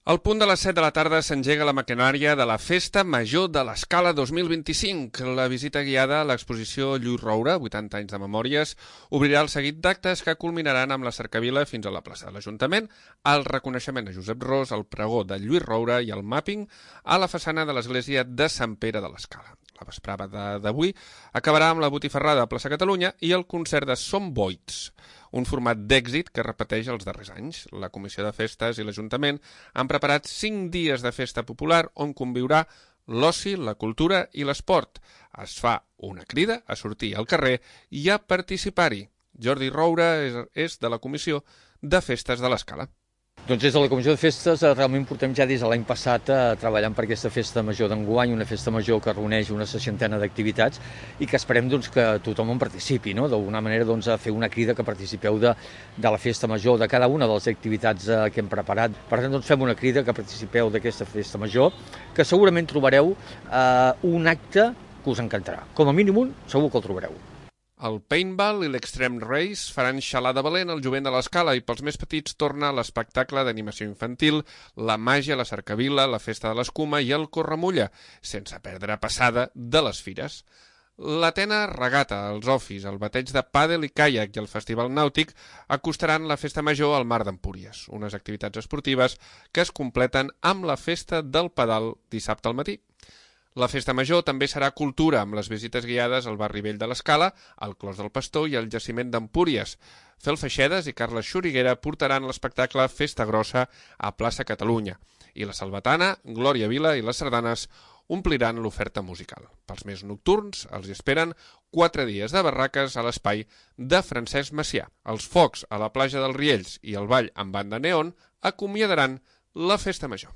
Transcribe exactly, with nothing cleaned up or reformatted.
Al punt de les set de la tarda s'engega la maquinària de la Festa Major de l'Escala dos mil vint-i-cinc. La visita guiada a l'exposició Lluís Roura, vuitanta anys de memòries, obrirà el seguit d'actes que culminaran amb la cercavila fins a la plaça de l'Ajuntament, el reconeixement a Josep Ros, el pregó de Lluís Roura i el mapping a la façana de l'església de Sant Pere de l'Escala. La vesprada d'avui acabarà amb la botifarrada a Plaça Catalunya i el concert de Som Boits, un format d'èxit que repeteix els darrers anys. La Comissió de Festes i l'Ajuntament han preparat cinc dies de festa popular on conviurà l'oci, la cultura i l'esport. Es fa una crida a sortir al carrer i a participar-hi. Jordi Roura és, és de la Comissió de Festes de l'Escala. Doncs des de la Comissió de Festes realment portem ja des de l'any passat eh, treballant per aquesta festa major d'enguany, una festa major que reuneix una seixantena d'activitats i que esperem doncs, que tothom en participi, no? D'alguna manera doncs, a fer una crida que participeu de, de la festa major, de cada una de les activitats eh, que hem preparat. Per tant, doncs, fem una crida que participeu d'aquesta festa major, que segurament trobareu eh, un acte que us encantarà. Com a mínim un, segur que el trobareu. El paintball i l'extreme race faran xalar de valent el jovent de l'Escala i pels més petits torna l'espectacle d'animació infantil, la màgia, la cercavila, la festa de l'escuma i el corremulla, sense perdre passada de les fires. L'Atena Regata, els ofis, el bateig de pàdel i caiac i el festival nàutic acostaran la festa major al Mar d'Empúries, unes activitats esportives que es completen amb la festa del pedal dissabte al matí. La festa major també serà cultura, amb les visites guiades al barri vell de l'Escala, al Clos del Pastor i al jaciment d'Empúries. Fel Feixedes i Carles Xuriguera portaran l'espectacle Festa Grossa a Plaça Catalunya i la Salvatana, Glòria Vila i les sardanes ompliran l'oferta musical. Pels més nocturns els esperen quatre dies de barraques a l'espai de Francesc Macià. Els focs a la platja dels Riells i el ball amb banda neon acomiadaran la festa major.